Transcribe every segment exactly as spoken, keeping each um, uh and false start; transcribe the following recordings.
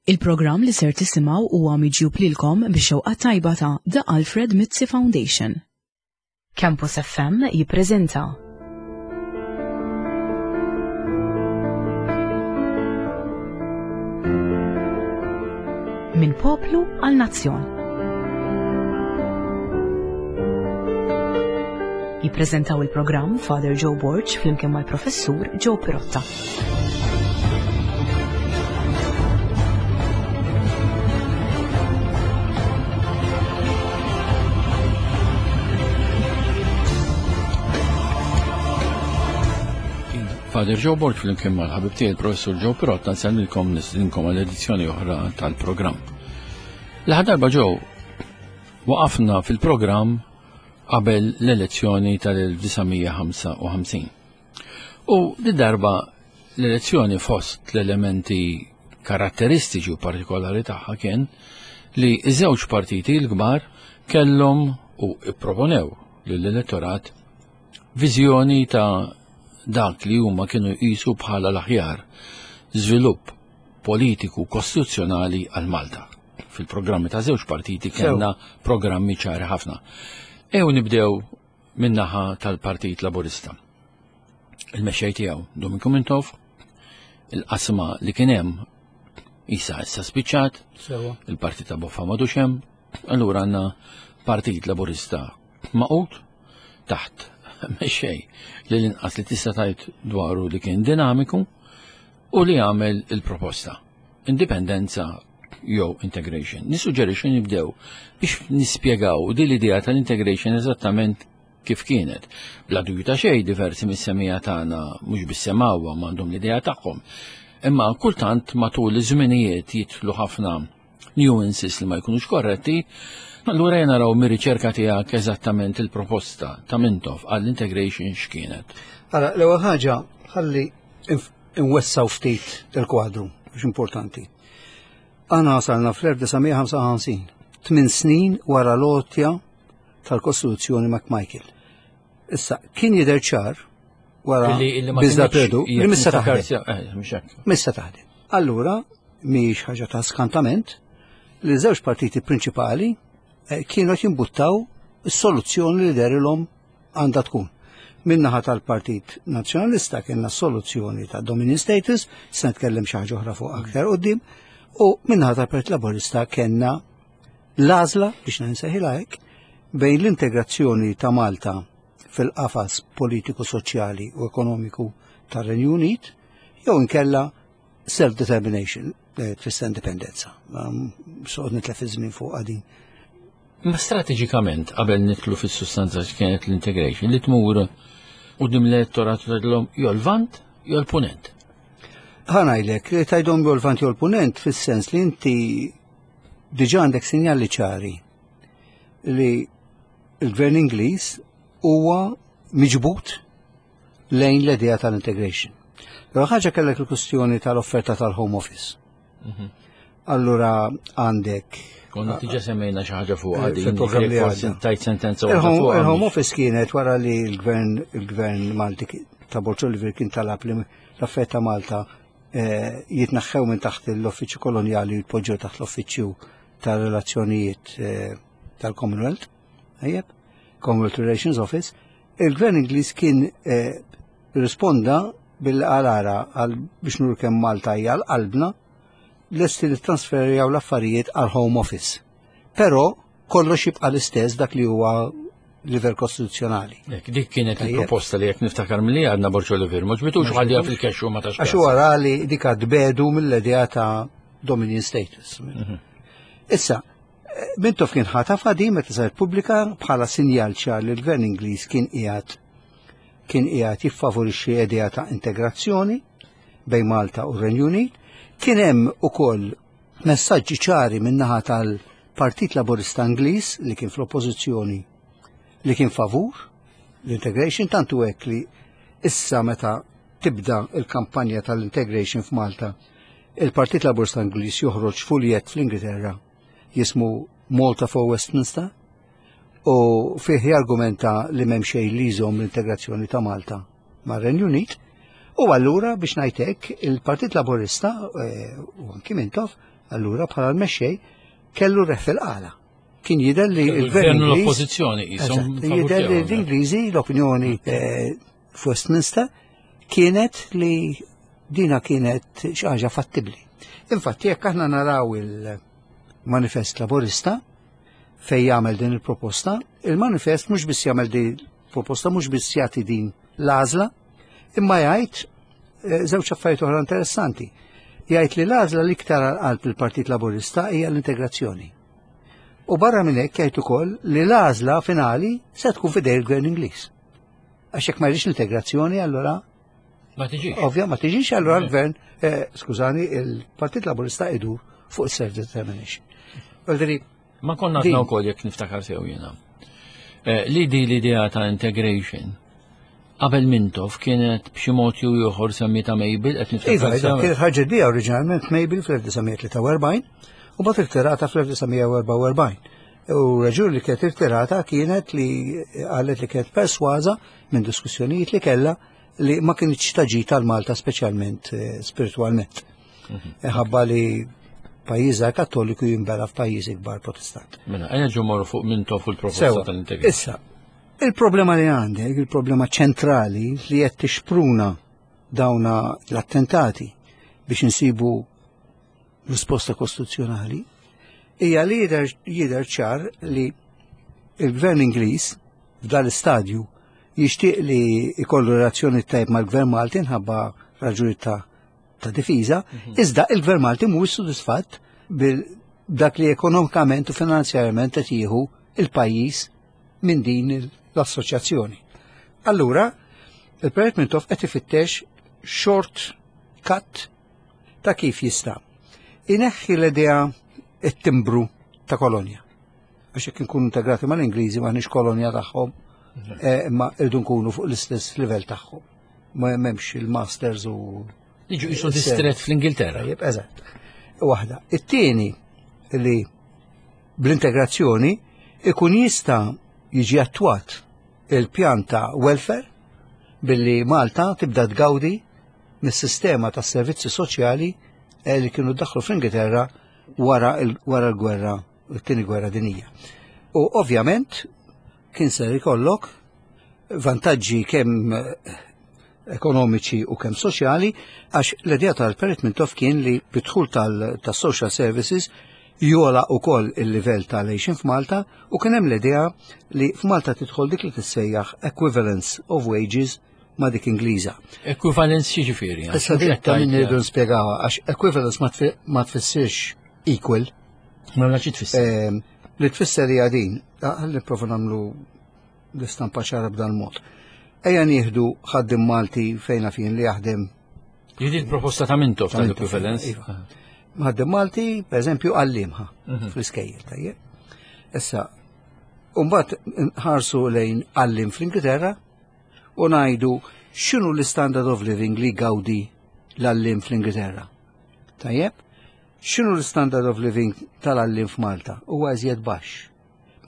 Il-programm li ser tisimgħu huwa miġjub lilkom bix-xewqa tajba ta' The Alfred Mizzi Foundation. Campus F M jippreżenta Minn Poplu għal Nazzjon. Jippreżentaw il-programm Father Joe Borg flimkien mal-Professur Joe Pirotta. Father Joe Borg flimkien mal-ħabib tiegħi il-Professur Joe Pirotta nsellmilkom, nistedinkom għal edizzjoni oħra tal-programm. L-aħħar darba, Joe, waqafna fil-programm qabel l-elezzjoni tal-elf disa' mija ħamsa u ħamsin. U di darba l-elezzjoni, fost l-elementi karatteristiċi u partikolari tagħha, kien li iż-żewġ partiti l-kbar kellhom u ipproponew lill-elettorat viżjoni ta' dak li huma kienu jqisu bħala l-aħjar żvilupp politiku kostituzzjonali għal Malta. Fil-programmi ta' żewġ partiti kellna programmi ċari ħafna. Ejjew nibdew min-naħa tal-Partit Laburista. Il-mexxej tiegħu Duminku Mintoff, il-qasma li kien hemm issa issa spiċċat, il-Partit ta' Boffa m'għadux hemm, allura għandna Partit Laburista magħqud taħt mexxej li l-inqas li tista' tgħid dwaru li kien dinamiku u li għamel il-proposta. Indipendenza jew integration. Nissuġġerixxi nibdew biex nispjegaw din l-idea tal-integration eżattament kif kienet. Bla dubju ta' xejn, diversi mis-semmiegħa tagħna mhux biss semgħuha, m'għandhom l-idea tagħhom. Imma kultant matul iż-żminijiet jidħlu ħafna nuances li ma jkunux korretti. Allura jena naraw mir-riċerka tiegħek eżattament il-proposta ta' Mintoff għall-integration x'kienet. Ara, l-ewwel ħaġa, ħalli nwessaw ftit il-kwadru, għax importanti. Aħna wasalna fl-elf disa' mija ħamsa u ħamsin, tmien snin wara l-għotja tal-Kostituzzjoni McMichael. Issa, kien jidher ċar wara biżla perdu li missa taħdem. Eh, missa taħdem. Allura, mhix ħaġa ta' skantament li żewġ partiti prinċipali eh, kienu jimbuttaw is-soluzzjoni li dehrilhom għandha tkun. Min-naħa tal-Partit Nazzjonalista kienna soluzzjoni ta' Dominion Status, se nitkellem xi ħaġa oħra fuq aktar quddiem, u min-naħa tal-Partit Laburista kellna l-għażla, biex nsejħilha hekk, bejn l-integrazzjoni ta' Malta fil-qafas politiku, soċjali u ekonomiku tar-Renju Unit jew inkella self-determination, eh, tfisser indipendenza. Soqgħod nitlef iż-żmien fuq għadin. Ma strateġikament, qabel nidħlu fis-sustanza kienet l-integration, li tmur quddiem l-elettorat tgħidilhom jew l-Lvant jew l-Punent. Ħa ngħidlek, li tgħidhom jew l-Lvant jew l-Punent fis-sens li inti diġà għandek sinjali ċari li l-gvern Ingliż huwa miġbut lejn l-idea tal-integration. Però ħaġa, kellek il-kustjoni tal-offerta tal-Home Office. Mhm. Allura għandek Konna diġà semmejna xi ħaġa fuq għadi. Fil-programm li għadda. Tajt sentenza. Il-Home Office kienet wara li l-gvern il-gvern Malti ta' Borg Olivier kien talab li l-affarijiet ta' Malta eh, jitnaħħew minn taħt l-Uffiċċju Kolonjali u jitpoġġew taħt l-Uffiċċju tal-Relazzjonijiet eh, tal-Commonwealth, ejjeb, Commonwealth Relations Office. Il-gvern Ingliż kien eh, risponda bil-għalara għal biex nur kemm Malta hija qalbna, lesti li trasferijaw l-affarijiet għal Home Office. Però kollox jibqa' l-istess, dak li huwa livell kostituzzjonali. Dik kienet il-proposta li, jekk niftakar milli għadna, Borg Olivier, ma għoġbitux, ħalliha fil-kexxu, ma tax. Għax wara li dik tbiegħdu mill-idea ta' Dominion status. Mhm. Issa, Mintoff kien ħataf di meta saret pubblika bħala sinjal ċar li l-gvern Ingliż kien qiegħed kien qiegħed jiffavorixxi idea ta' integrazzjoni bejn Malta u r-Renju Unit. Kien hemm ukoll messaġġi ċari min-naħa tal-Partit Laburista Ingliż li kien fl-oppożizzjoni li kien favur l-integration, tantu hekk li issa meta tibda il-kampanja tal-integration f'Malta, il-Partit Laburista Ingliż joħroġ fuljet fl-Ingilterra jismu Malta for Westminster u fih jargumenta li m'hemm xejn li jżomm l-integrazzjoni ta' Malta mar-Renju Unit. U allura, biex ngħidlek, il-Partit Laburista eh, u anki Mintoff Allura bħala l-mexxej kellu reħ fil-qala. Kien jidher li l-gvern l-oppożizzjoni jidher li l-Ingliżi l-opinjoni eh, f'Westminster kienet li dina kienet xi ħaġa fattibbli. Infatti jekk aħna naraw il-manifest laburista fejn jagħmel din il-proposta, il-manifest mhux biss jagħmel din il-proposta, mhux biss jagħti din l-għażla, imma jgħid eh, żewġ affarijiet oħra interessanti. Jgħid li l-għażla l-iktar għal qalb il-Partit Laburista hija l-integrazzjoni. U barra minn hekk jgħid ukoll li l-għażla finali se tkun f'idej il-Gvern Ingliż. Għax jekk ma jridx l-integrazzjoni allura Ma tiġix. Ovvja, ma tiġix allura l-gvern, eh, skużani, il-Partit Laburista idur fuq self-determination. Ma konna għadna wkoll jekk niftakar sew jiena. Eh, li di l-idea ta' integration qabel Mintoff kienet b'xi mod jew ieħor semmita Mabel qed niftakar. Iva, iva, kienet ħarġet bija oriġinalment Mabel fl-elf disa' mija tlieta u erbgħin u mbagħad irtirata fl-elf disa' mija erbgħa u erbgħin. U raġuni li kienet irtirata kienet li qalet li kienet persważa minn diskussjonijiet li kella li ma kienx taġi tal-Malta, speċjalment eh, spiritualment. Mhm. Ħabba li pajjiża Kattoliku jinbela f'pajjiż ikbar Protestant. Mela, ejja ġo morru fuq Mintoff il-proposta tal-integrazzjoni. Issa, il-problema li għandek, il-problema ċentrali li qed tixpruna dawna l-attentati biex insibu risposta kostituzzjonali, hija li jidher ċar li il-gvern Ingliż f'dal istadju jixtieq li jkollu relazzjoni tajb mal-gvern Malti nħabba raġuni ta' ta' difiża, mhm. iżda il-gvern Malti mhuwiex sodisfatt bil dak li ekonomikament u finanzjarjament qed jieħu il-pajjiż minn din l-assoċjazzjoni. Allura, il-Projekt Mintoff qed ifittex short cut ta' kif jista' ineħħi l-idea, it-timbru ta' kolonja. Għax jekk nkunu integrati mal-Ingliżi maħniex kolonja tagħhom, mhm. eh, imma irdu nkunu fuq l-istess livell tagħhom. Ma hemmx il-masters u Jiġu jisu distret fl-Ingilterra. Tajjeb, eżatt. Waħda. It-tieni li bl-integrazzjoni ikun jista' jiġi attwat il-pjan ta' welfare billi Malta tibda tgawdi mis-sistema tas servizzi soċjali eh, li kienu daħlu fl-Ingilterra wara l-gwerra, it-tieni gwerra dinija. U ovvjament kien ser ikollok vantaġġi kemm eh, ekonomiċi u kemm soċjali, għax l-idea tal-Perit Mintoff kien li bid-dħul tal-social services jogħla ukoll il-livell tal-għixien f'Malta u kien hemm l-idea li f'Malta tidħol dik li tissejjaħ equivalence of wages ma' dik Ingliża. Equivalence x'jiġifieri? Issa dik ta' min irridu nispjegawha, għax equivalence ma tfissirx equal. Ma xi tfisser? Ehm, li tfisser hija din, ħalli nipprova nagħmlu l-istampa ċara b'dan mod. Ejja nieħdu ħaddim Malti fejna fin li jaħdem. Jiġi l-proposta ta' Mintoff tal-equivalence. Iva. Ħaddiem Malti, per eżempju, għallimha mhm. fl-iskejjel, tajjeb. Issa, mbagħad nħarsu lejn għalliem fl-Ingilterra u ngħidu x'inhu l-standard of living li gawdi l-għalliem fl-Ingilterra. Tajjeb? X'inhu l-standard of living tal-għalliem f'Malta? Huwa iżjed baxx.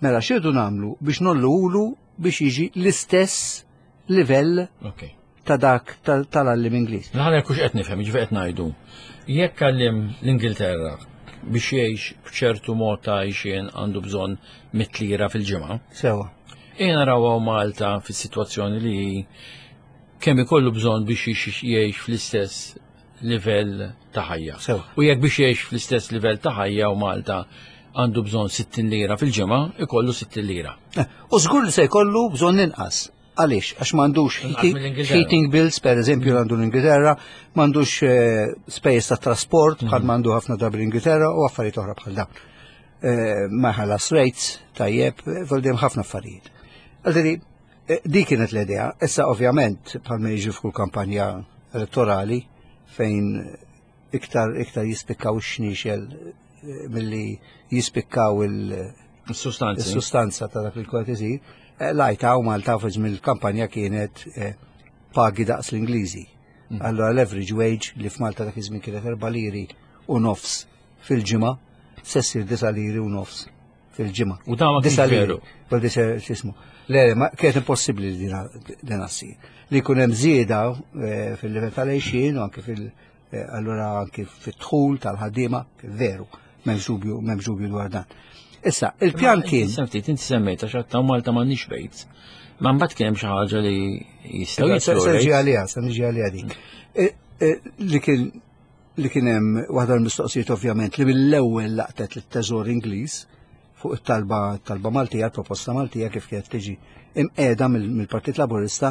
Mela x'irdu nagħmlu biex ngħolluhulu biex jiġi l-istess livell Okay. ta' dak tal-għalliem Ingliż? Naħna kux qed nifhem, ġifieri qed ngħidu. Jekk għalliem l-Ingilterra biex jgħix b'ċertu mod ta' għixien għandu bżonn mitt lira fil-ġimgħa. Sewa. Ejja naraw Malta fis-sitwazzjoni li kemm ikollu bżonn biex jgħix fl-istess livell ta' ħajja. Sewa. U jekk biex jgħix fl-istess livell ta' ħajja u Malta għandu bżonn sittin lira fil-ġimgħa, ikollu sittin lira. Eh, u żgur li se jkollu bżonn inqas. Għaliex? Għax m'għandux heating bills, per eżempju, għandu l-Ingilterra, m'għandux eh, spejjeż ta' trasport bħal mhm. m'għandu ħafna drabi l-Ingilterra u affarijiet oħra bħal dawn. Eh, ma ħallas rates, tajjeb, voldem ħafna affarijiet. Għaldiri, eh, di kienet l-idea. Issa ovvjament, bħal ma jiġi f'kull kampanja elettorali, fejn iktar iktar jispikkaw ix-xniexel milli jispikkaw il-sustanza il-sustanza ta' dak li kont isir. Eh, lajta u Malta fi żmien il-kampanja kienet eh, pagi daqs l-Ingliżi. Mm. Allora l-average wage li f'Malta dak iż-żmien kienet erba' liri u nofs fil-ġimgħa, se ssir disa' liri u nofs fil-ġimgħa. U da ma kienx veru. Vol x'ismu. Le, ma kienet impossibbli li din assir. Li jkun hemm żieda eh, fil-livell tal-għixien u anke fil- Eh, allura anki fit-dħul tal-ħaddiema, veru, m'hemmx dubju, m'hemmx dubju dwar dan. Issa, il-pjan kien. Inti inti semmejt għax għatta Malta m'għandniex rates. Ma mbagħad kien hemm xi ħaġa li jistgħu Se jitlu se niġi rates. għalija, se niġi għalija dik. Eh, eh, Li kien li kien hemm waħda l-mistoqsijiet ovvjament li mill-ewwel laqtet lit-Teżor Ingliż fuq it-talba talba Maltija, proposta Maltija kif kienet tiġi imqiegħda mill-Partit Laburista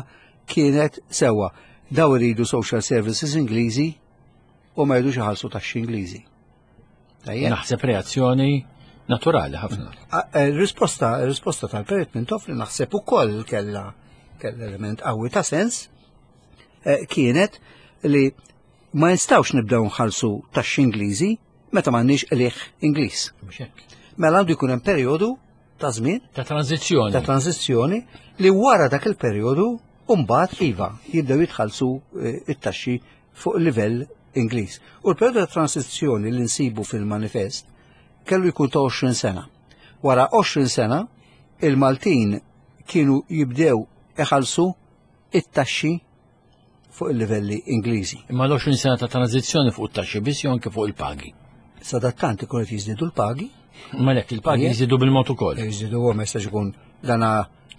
kienet sewwa daw iridu social services Ingliżi u ma jridux iħallsu taxxi Ingliżi. Tajjeb. Naħseb reazzjoni naturali ħafna. A- eh, Risposta, risposta tal-Perit Mintoff li naħseb ukoll kella kella element qawwi ta' sens eh, kienet li ma nistgħux nibdew nħallsu taxxi Ingliżi meta m'għandniex qligħ Ingliż. Mhux hekk. Mela għandu jkun hemm perjodu ta' żmien Ta' tranzizzjoni. ta' tranzizzjoni li wara dak il-perjodu mbagħad iva jibdew jitħallsu eh, it-taxxi fuq il-livell Ingliż. U l-perjodu ta' tranzizzjoni li nsibu fil-manifest kellu jkun ta' għoxrin sena. Wara għoxrin sena il-Maltin kienu jibdew iħallsu it-taxxi fuq il-livelli Ingliżi. Imma l-għoxrin sena ta' tranzizzjoni fuq it-taxxi biss jew anke fuq il-pagi. Sadattant ikun qed jiżdiedu l-pagi, Ma lek il-pagi Ije. jiżdiedu bil-mod ukoll. Jiżdiedu huwa ma jistax ikun dana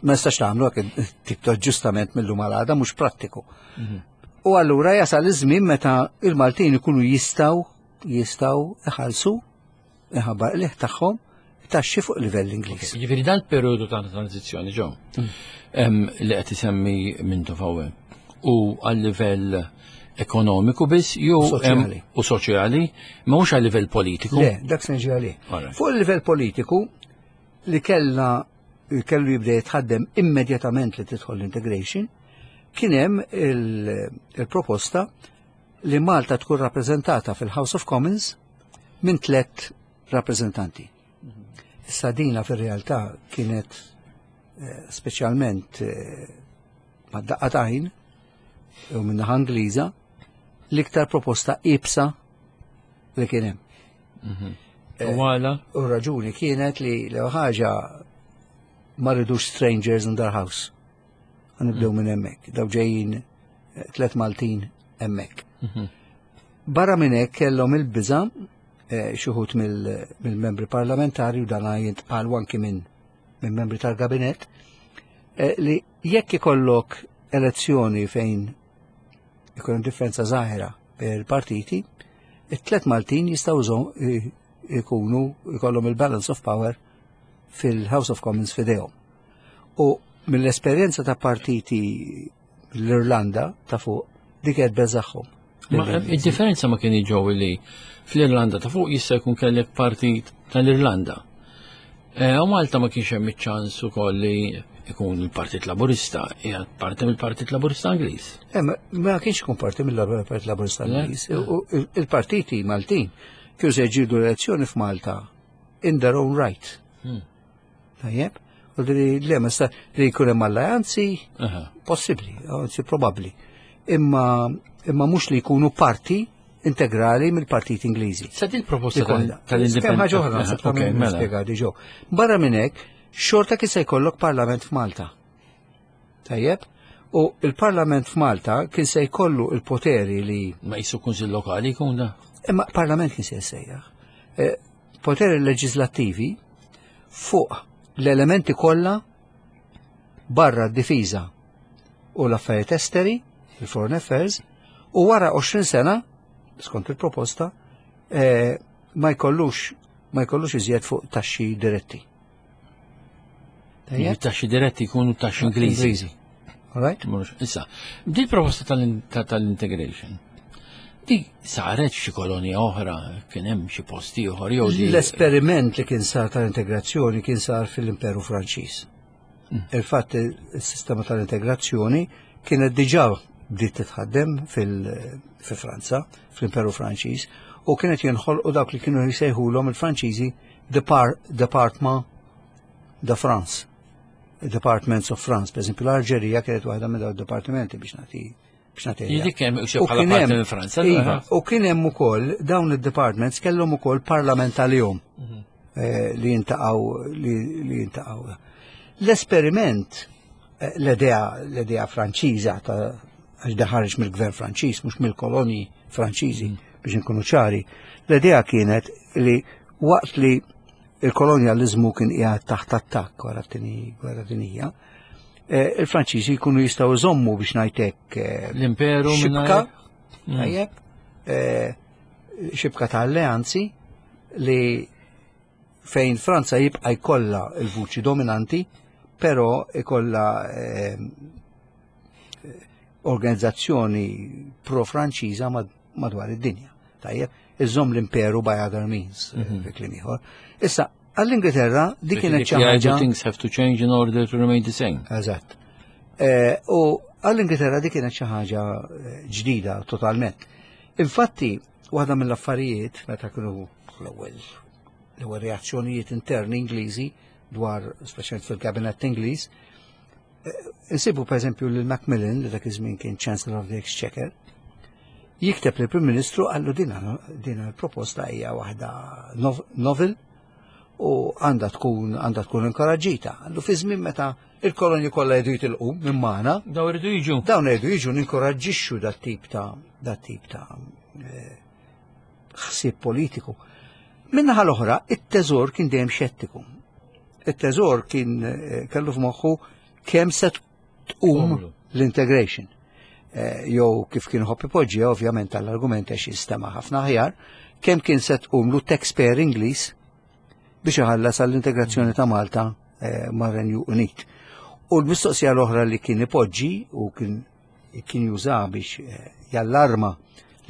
ma jistax tagħmlu hekk tip ta' aġġustament mill-lum għal għada mhux prattiku. U allura jasal iż-żmien meta il-Maltin ikunu jistgħu jistgħu iħallsu iħabba qligħ tagħhom taxxi fuq livell Ingliż. Jiġifieri dal-perjodu ta' tranzizzjoni ġew em, li qed isemmi Mintoff hawnhekk u għal livell ekonomiku biss jew U soċjali. em, u soċjali, ma mhux għal livell politiku. Le, dak se niġi għalih. Alright. Fuq il-livell politiku li kellna kellu jibda jitħaddem immedjatament li tidħol l-integration, kien hemm il- il-proposta li Malta tkun rappreżentata fil-House of Commons minn tlet rappreżentanti. Issa dina fir-realtà kienet eh, speċjalment eh, mad-daqqa t'għajn u min-naħa Ingliża l-iktar proposta iebsa li kien hemm. U għala? U raġuni kienet li l ħaġa ma rridux strangers in their house. Nibdew minn hemmhekk. Daw ġejjin eh, tlet Maltin hemmhekk. Barra minn hekk kellhom il-biża eh, xi wħud mill-membri parlamentari u dan jintqal anki minn minn membri tal-gabinett eh, li jekk ikollok elezzjoni fejn ikun hemm differenza żgħira bejn il-partiti, it-tlet Maltin jistgħu żom- i- ikunu ikollhom il-balance of power fil-House of Commons fidejhom. U mill-esperjenza ta' partiti l-Irlanda ta' fuq dik qed beżagħhom. Ma il-differenza ma kien ġew li fl-Irlanda ta' fuq jista' jkun kellek partit tal-Irlanda. E, U Malta ma kienx hemm iċ-ċans ukoll li ikun il-Partit Laburista, hija parti mill-Partit Laburista Ingliż. Eh, ma ma kienx ikun parti mill-Partit Laburista Le? Ingliż. U il- Il-partiti Maltin kienu se jġildu l-elezzjoni f'Malta in their own right. Hmm. Tajjeb? U li le ma sta li jkun hemm alleanzi Aha. possibbli, anzi probabbli. Imma imma mhux li jkunu parti integrali mill-partit Ingliżi. Sa din proposta Dik waħda. tal-indipendenza. Kemm ħaġa oħra naħseb ta' Ok, minn mela. nispjega diġò. Barra minn hekk, xorta kien se jkollok parlament f'Malta. Tajjeb? U il-parlament f'Malta kien se jkollu il-poteri li Ma jisu kunsill lokali jkun da. Imma parlament kien se jsejjaħ. Eh, Poteri leġislattivi fuq l-elementi kollha barra d-difiża u l-affarijiet esteri, il-foreign affairs, u wara għoxrin sena, skont il-proposta, eh, ma jkollux ma jkollux iżjed fuq taxxi diretti. Tajjeb? Taxxi diretti jkunu taxxi Ingliżi. Ingliżi. All right? Mhux- Issa, di proposta tal- ta- tal-integration. Di saret xi kolonja oħra, kien hemm xi posti oħra jew di. L-esperiment li kien sar tal-integrazzjoni kien sar fil-Imperu Franċiż. Il-fatt il-sistema tal-integrazzjoni kienet diġà bdiet titħaddem fil- fi Franza, fl-Imperu Franċiż, u kienet jinħolqu dawk li kienu jsejħulhom il-Franċiżi Depar Départements de France. Departments of France, per esempio l-Alġerija kienet waħda minn dawn id-dipartimenti biex nagħti biex nagħti idea. Dik hemm U bħala kien parti hemm- minn Franza. Iva, u kien hemm ukoll dawn id-departments kellhom ukoll parlament għalihom eh, li jintaqgħu li, li jintaqgħu. L-esperiment eh, l-idea l-idea Franċiża ta' għax daħarġ mill-gvern Franċiż mhux mill-kolonji Franċiżi biex inkunu ċari. L-idea kienet li waqt li il-kolonjalizmu kien qiegħed taħt attakk wara t-tieni gwerra dinjija, eh, il-Franċiżi jkunu jistgħu jżommu biex ngħidlek eh, L-imperu xibka, mingħajr- tajjeb, eh, xibka ta' alleanzi li fejn Franza jibqa' jkollha il-vuċi dominanti, però ikollha eh, organizzazzjoni pro-Franċiża mad- madwar id-dinja. Tajjeb, iżomm l-imperu by other means, fi kliem ieħor. Issa, għall-Ingilterra dik kienet xi ħaġa. Things have to change in order to remain the same. Eżatt. Eh, U għall-Ingilterra dik kienet xi ħaġa eh, ġdida totalment. Infatti, waħda mill-affarijiet meta kienu l-ewwel l-ewwel reazzjonijiet interni Ingliżi dwar speċjalment fil-kabinett Ingliż, eh, insibu per eżempju lil Macmillan li dak iż-żmien kien Chancellor of the Exchequer, jikteb lill prim Ministru qallu dina dina l-proposta hija waħda nov- novel u għandha tkun għandha tkun inkoraġġita. Qallu fi żmien meta il-kolonji kollha jridu jitilqu minn magħna, Daw iridu jiġu. dawn jridu jiġu ninkoraġġixxu dat tip ta' dat tip ta' eh, ħsieb politiku. Min-naħa l-oħra, it-teżor kien dejjem xettiku. It-teżor kien eh, kellu f'moħħu kemm se tqum Tqumlu. l-integration. Eh, Jew kif kien iħobb ipoġġi, ovvjament tal-argument għax jistema ħafna aħjar, kemm kien se tqumlu taxpayer Ingliż biex iħallas għall-integrazzjoni ta' Malta eh, mar-Renju Unit. U l-mistoqsija l-oħra li kien ipoġġi u kien kien juża biex eh, jallarma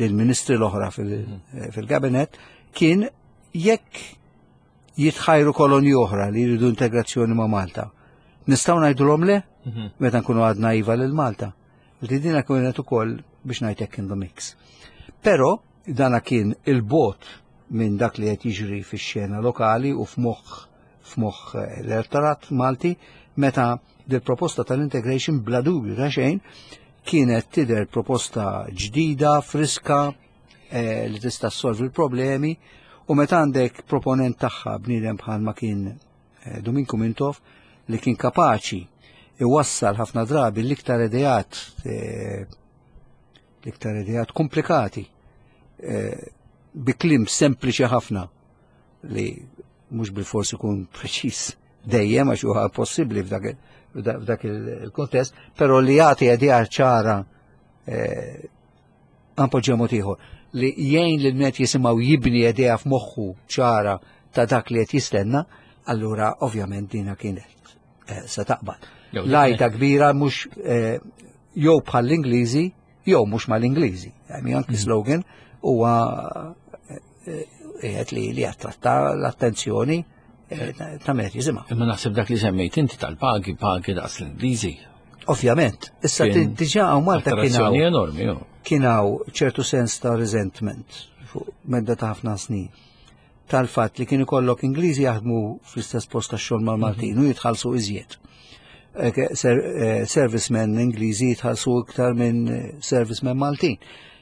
lill-ministri l-oħra fil- eh, fil-kabinet kien jekk jitħajru kolonji oħra li jridu integrazzjoni ma' Malta. Nistgħu ngħidulhom le meta nkunu għadna iva lil Malta. Li dina kienet ukoll biex ngħidlek in the mix. Però dana kien il-bogħod minn dak li qed jiġri fix-xena lokali u f'moħħ f'moħħ eh, l-elettorat Malti meta dil-proposta tal-integration bla dubju ta' xejn kienet tidher proposta ġdida, friska, eh, li tista' ssolvi l-problemi u meta għandek proponent tagħha bniedem bħal ma kien eh, Duminku Mintoff li kien kapaċi iwassal ħafna drabi l-iktar ideat eh, l-iktar ideat komplikati eh, bi kliem sempliċi ħafna li mhux bil-fors ikun preċiż dejjem għax huwa possibbli f'dak il- f'dak il-kontest, però li jagħti idea ċara eh, għampoġġa mod ieħor li jgħin lil min jisimgħu jibni idea f'moħħu ċara ta' dak li qed jistenna, allura ovvjament dina kienet eh, se taqbad. Jew Lajta kbira mhux eh, jew bħall-Ingliżi jew mhux mal-Ingliżi. I anki slogan huwa eh, qiegħed li li attratta l-attenzjoni eh, ta' min qed jisimha. Imma naħseb dak li semmejt inti tal-pagi, pagi daqs l-Ingliżi. Ovvjament, issa Kien diġà hawn Malta kien hawn Attrazzjoni enormi, jo. kien hawn ċertu sens ta' resentment fuq medda ta' ħafna snin tal-fatt li kien ikollok Ingliżi jaħdmu fl-istess post tax-xogħol mal-Maltin u jitħallsu iżjed. Eh, ke- ser- eh, Servicemen Ingliżi jitħallsu iktar minn eh, servicemen Maltin.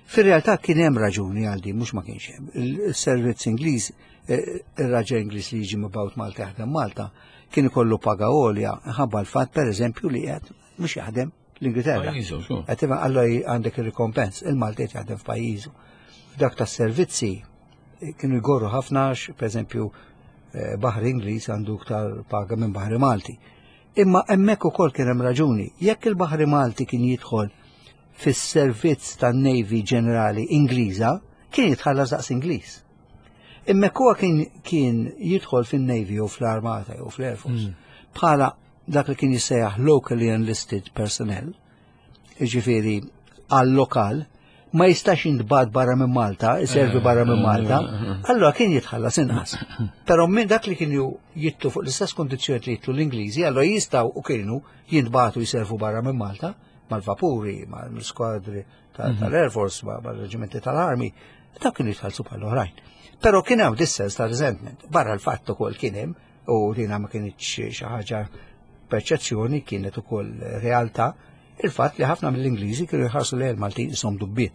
Fir-realtà kien hemm raġuni għal din, mhux ma kienx hemm. Il-servizz Ingliż, eh, ir-raġel Ingliż li jiġi mibgħut Malta jaħdem Malta, kien ikollu paga għolja ħabba l-fatt pereżempju li qed mhux jaħdem l-Ingilterra. Pajjiżu, xu. Għatima għallu għandek il-rikompens, il-Malti qed jaħdem f'pajjiżu. F'dak tas servizzi eh, kienu jgorru ħafna, għax, per eżempju, eh, Baħri Ingliż għandu iktar paga minn Baħri Malti. Imma hemmhekk ukoll kien hemm raġuni. Jekk il-Baħri Malti kien jidħol fis-servizz tan-Navy Ġenerali Ingliża, kien jitħallas daqs Ingliż. Imma huwa kien kien jidħol fin-Navy u fl-Armata jew fl-Air Force bħala dak li kien jissejjaħ locally enlisted personnel, ġifieri għal-lokal, ma jistax jintbagħat barra minn Malta, iservi barra minn Malta, allora kien jitħallas inqas. Però minn dak li kienu jidħlu fuq l-istess kondizzjoni li jidħlu l-Ingliżi, allora jistgħu u kienu jintbagħtu jiservu barra minn Malta, mal-vapuri, mal-skwadri tal-Air Force, mal-reġimenti tal-Army, dak kienu jitħallsu bħal oħrajn. Però kien hawn dis-sens ta' resentment. Barra l-fatt ukoll kien hemm, u dina ma kienx xi ħaġa perċezzjoni, kienet ukoll realtà, il-fatt li ħafna mill-Ingliżi kienu jħarsu lejn il-Maltin qishom dubbien.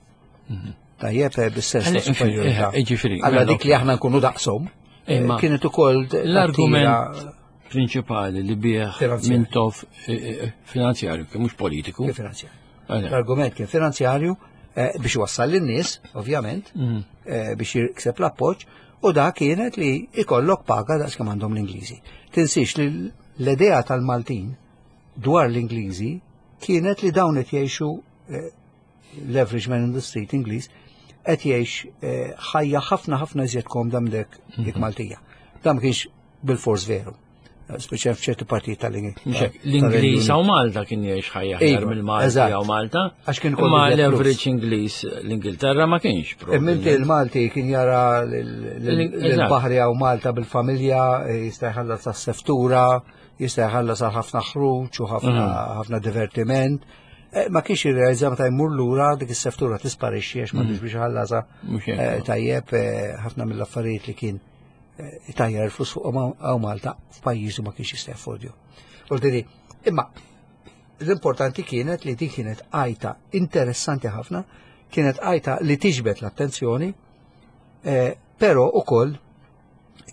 Tajjeb eh, bis-sens ta' superjorità. Ġifieri. Alla dik li aħna nkunu daqshom, eh, Imma kienet ukoll L-argument prinċipali li bih Finanzjarju. Mintoff eh, eh, finanzjarju, kien mhux politiku. kien finanzjarju. Għale. L-argument kien finanzjarju, eh, biex wassal lin-nies, ovvjament, mm. eh, biex jikseb l-appoġġ, u da kienet li ikollok paga daqs kemm għandhom l-Ingliżi. Tinsiex li l-idea tal-Maltin dwar l-Ingliżi kienet li dawn qed jgħixu eh, l-average man in the street Ingliż qed jgħix ħajja ħafna ħafna iżjed komda minn dik dik Maltija. Dan ma kienx bil-fors veru. Speċjal f'ċertu partijiet tal-Ingliż. L-Ingliż hawn Malta kien jgħix ħajja aħjar mill-Malti hawn Malta. Għax kien Ma l-average Ingliż l-Ingilterra ma kienx. Imminti il-Malti kien jara l-baħri hawn Malta bil-familja, jista' jħallas sas-seftura, jista' jħallas għal ħafna ħruġ u ħafna divertiment. Ma kienx jirrealizza meta jmur lura dik is-seftura tisparixxi għax m'għandux biex ħallasa tajjeb ħafna mill-affarijiet li kien tajjar il-flus fuq hawn Malta f'pajjiżu ma kienx jista' jaffordju. Ordini, imma l-importanti kienet li din kienet għajta interessanti ħafna, kienet għajta li tiġbed l-attenzjoni, però ukoll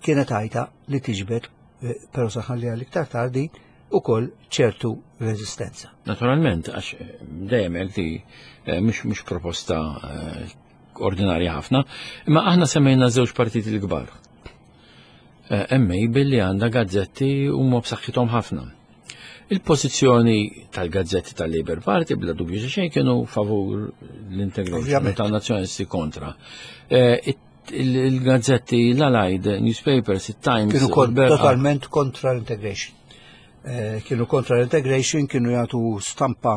kienet għajta li tiġbed, però saħalli għal iktar tardi, ukoll ċertu reżistenza. Naturalment, għax dejjem hekk di mhux mhux proposta ordinarja ħafna, imma aħna semmejna żewġ partiti l-kbar. Hemm billi għandha gazzetti huma b'saħħithom ħafna. Il-pożizzjoni tal-gazzetti tal-Labour Party bla dubju xejn kienu favur l-integration tan-nazzjonalisti kontra. Il-gazzetti l-Allied Newspapers, il-Times kienu totalment kontra l-integration. Kienu kontra l-integration, kienu jagħtu stampa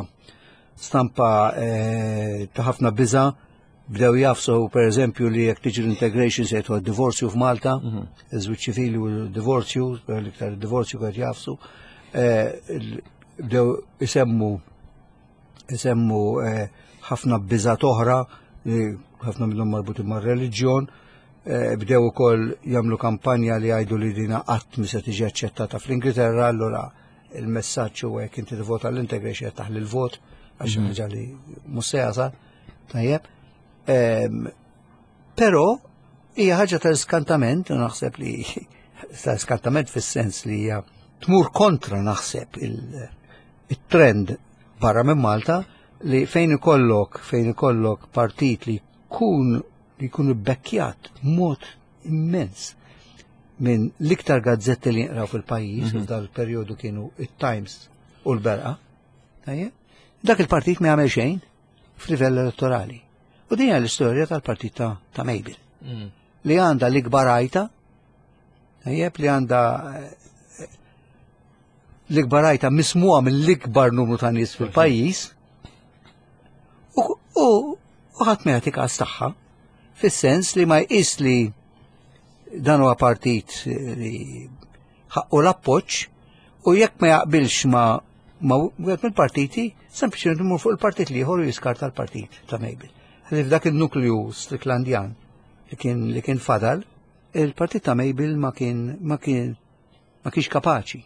stampa ta' ħafna biża'. Bdew jafsu per eżempju li jekk tiġi l-integration se jgħidu divorzju f'Malta, iż-żwieġ ċivili u divorzju, l-iktar divorzju qed jafsu. Bdew isemmu isemmu ħafna biżat oħra, ħafna minnhom marbutin mar-reliġjon, bdew ukoll jagħmlu kampanja li jgħidu li dina qatt mi se tiġi aċċettata fl-Ingilterra, allura il-messaġġ huwa jekk inti tivvota l-integration qed taħli l-vot għax ħaġa li mhux se jasal. Tajjeb. Però hija ħaġa ta' skantament, u naħseb li ta' skantament fis-sens li hija tmur kontra naħseb il-trend barra minn Malta li fejn ikollok fejn ikollok partit li jkun li jkun ibbekkjat b'mod immens minn l-iktar gazzetti li jinqraw fil-pajjiż, f'dal perjodu kienu it-Times u l-Berqa. Dak il-partit ma jagħmel xejn f'livell elettorali. U din hija l-istorja tal-partit ta' Mabel. Li għandha l-ikbar għajta, tajjeb, li għandha l-ikbar għajta mismuha mill-ikbar numru ta' nies fil-pajjiż, u ħadd ma jagħti każ tagħha, fis-sens li ma jqis li dan huwa partit li ħaqqu l-appoġġ, u jekk ma jaqbilx ma ma wieħed mill-partiti, sempliċement imur fuq il-partit l-ieħor u jiskarta l-partit ta' Mabel. Ħlief dak il-nukleu Stricklandjan li kien li kien fadal, il-partit ta' Mabel ma kien ma kien ma kienx kapaċi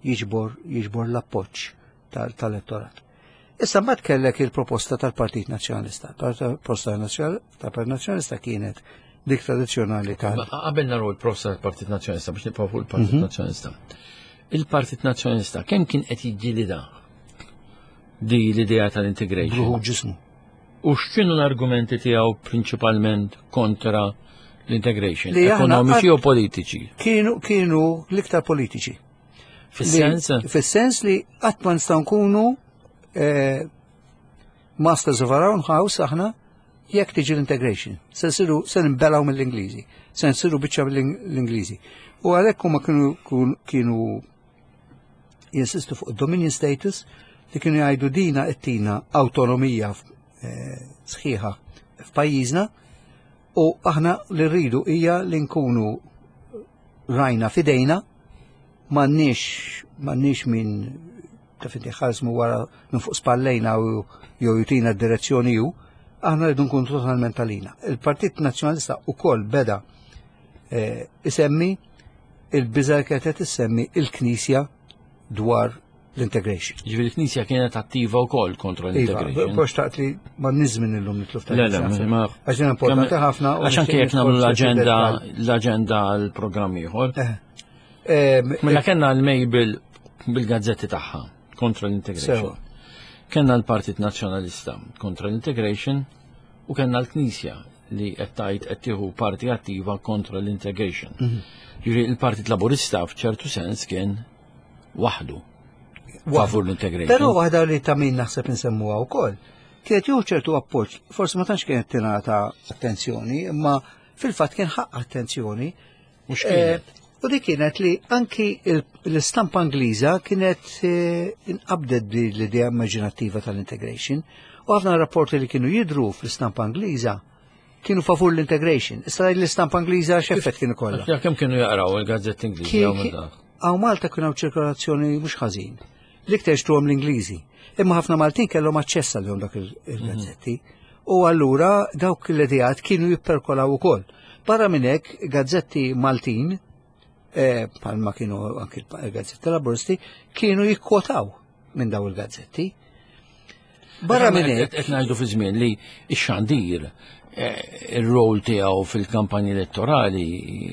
jiġbor jiġbor l-appoġġ tal-elettorat. Issa mbagħad kellek il-proposta tal-Partit Nazzjonalista. Il-proposta tal-Partit Nazzjonalista kienet dik tradizzjonali tal. Qabel naraw il-proposta tal-Partit Nazzjonalista biex nibqgħu fuq il-Partit Nazzjonalista. Il-Partit Nazzjonalista kemm kien qed jiġġielida di l-idea tal-integration? Bruħu ġismu. U x'kienu l-argumenti tiegħu prinċipalment kontra l-integration? Ekonomiċi u politiċi? Kienu kienu l-iktar politiċi. Fis-sens? Fis-sens li qatt ma nistgħu nkunu masters of our own house aħna jekk tiġi l-integration. Se nsiru se nbelgħu mill-Ingliżi, se nsiru biċċa mill-Ingliżi. U għalhekk huma kienu kienu jinsistu fuq dominion status li kienu jgħidu dina qed awtonomija sħiħa f'pajjiżna, u aħna li rridu hija li nkunu rajna fidejna, m'għandniex m'għandniex min taf inti ħarsmu wara minn fuq spallejna u jew jutina d-direzzjoni ju, aħna rridu nkunu totalment għalina. Il-Partit Nazzjonalista wkoll beda isemmi il-biża' kienet issemmi il-Knisja dwar l-integration. Ġifieri l-Knisja kienet attiva wkoll kontra l-integration. Iva, xtaqt li ma nizmin illum nitlu f'ta' Le, le, ma għax din importanti ħafna. Għax anke jekk nagħmlu l-aġenda l-aġenda għall-programm ieħor. Mela kellna l-Mabel bil-gazzetti tagħha kontra l-integration. Kellna l-Partit Nazzjonalista kontra l-integration. U kellna l-Knisja li qed tgħid qed tieħu parti attiva kontra l-integration. Mhm. Ġifieri il-Partit Laburista f'ċertu sens kien waħdu favur l-integration. Però waħda li ta' min naħseb insemmuha wkoll, kienet jieħu ċertu appoġġ, forsi ma tantx kienet tingħata attenzjoni, imma fil-fatt kien ħaqq attenzjoni. Mhux kienet. Eh, U di kienet li anki l-istampa Ingliża kienet eh, inqabdet bi l-idea immaġinattiva tal-integration u ħafna rapporti li kienu jidru fl-istampa Ingliża kienu favur l-integration. Issa l-istampa Ingliża x'effett kienu kollha. Ja, kemm kienu jaqraw il-gazzetti Ingliżi hawn minn dak? Hawn Malta kienu hawn ċirkolazzjoni mhux ħażin. L-iktar xtruhom l-Ingliżi. Imma ħafna Maltin kellhom aċċess għalihom dak il-gazzetti. U allura dawk l-ideat kienu jipperkolaw ukoll. Barra minn hekk gazzetti Maltin, eh, bħalma kienu anki l-gazzetti Laburisti, kienu jikkwotaw minn daw il-gazzetti. Barra minn hekk, Qed ngħidu fi żmien li x-xandir eh, ir-rol tiegħu fil-kampanja elettorali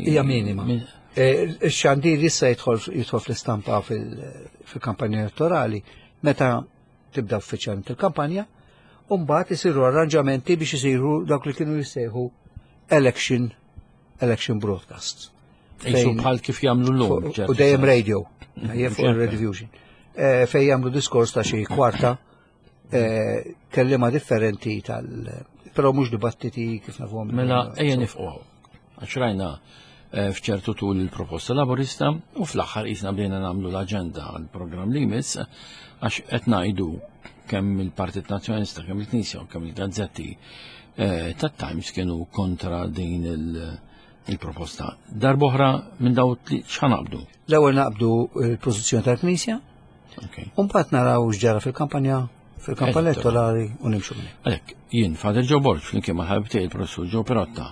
hija minima. Min- Eh, Ix-xandir issa jidħol jidħol fl-istampa fil- fil-kampanja elettorali meta tibda uffiċjalment il-kampanja, u mbagħad isiru arranġamenti biex isiru dawk li kienu jissejħu election election broadcasts. Qisu Fejn- bħal kif jagħmlu llum. Fuq- U dejjem radio, dejjem fuq Ċerta. il-Radio Eh, Fej jagħmlu diskors ta' xi kwarta eh, kellima differenti tal però mhux dibattiti kif nafuhom. Mela ejja nifqu. Għax rajna eh, f'ċertu tul il-proposta laburista u fl-aħħar qisna bdejna nagħmlu l-aġenda għall-programm li jmiss għax qed ngħidu kemm il-Partit Nazzjonalista, kemm il-Knisja u kemm il-gazzetti eh, tat-Times kienu kontra din il- il-proposta. Darb'oħra minn daw tli x'ħanaqbdu. L-ewwel naqbdu l-pożizzjoni tal-Knisja, Okay. u mbagħad naraw x'ġara fil-kampanja fil-kampanja elettorali u nimxu minn. hekk. Għalhekk, jien Father Joe Borg, flimkien ma' ħabib tiegħi il-Professur Joe Perotta,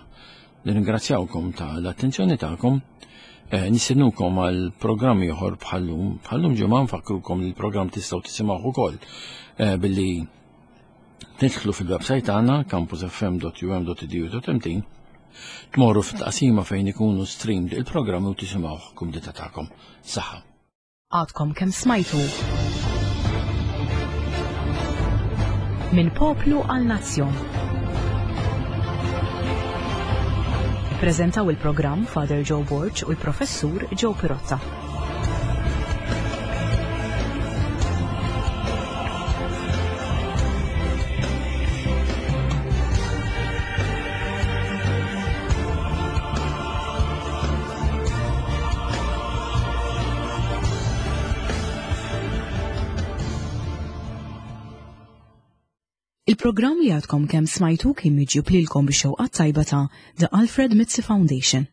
nirringrazzjawkom ta' l-attenzjoni tagħkom, eh, nistennukom għal programm ieħor bħallum, bħallum ġimgħa nfakkrukom li l-programm tistgħu tisimgħuh ukoll eh, billi tidħlu fil-website tagħna campus f m dot u m dot e d u dot m t, tmorru fit-taqsima fejn ikunu streamed il-programm u tisimgħuh kumdita tagħkom. Saħħa. Għadkom kemm smajtu. Minn poplu għal nazzjon. Ippreżentaw il-programm Father Joe Borg u l-Professur Joe Pirotta. Il-programm li għadkom kemm smajtu kien miġjub lilkom bix-xewqa tajba ta' The Alfred Mizzi Foundation.